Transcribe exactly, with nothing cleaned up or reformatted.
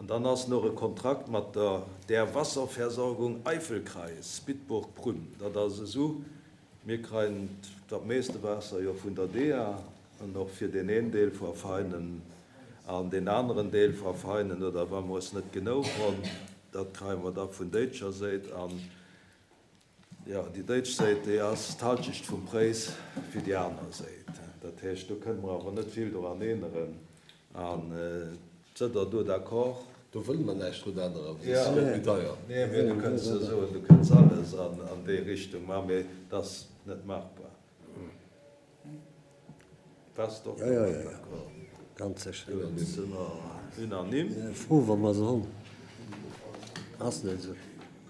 An dann ass nach e Kontrakt mat der der Wasserversorgung Eifelkreis Bitburg-Prüm. Dat ass esou, mir kréien dat meeste Waasser jo vun der D E A an och fir deen een Deel vu Veinen an deen aneren Deel vu Veinen, oder wa mer es net genau hunn, dat kréie mer da vun déitscher Säit. An jo, déi déitsch Säit, déi ass d'Halschecht vum Präis fir déi aner Säit. Dat heescht, do kënne mer awer net vill doran änneren. An sidd Der do d'accord? Do wëlle mer näischt drun änneren, well soss gëtt et méi deier. Nee, mee du kënns jo soen, du kënns alles an an déi Richtung maachen, mee dat ass net machbar. Bass de och Jo, jo, domat jo, jo, d'accord? Ganz sécher. Gutt, si mer unanime. Fro, wa mer se hunn. Ass net esou.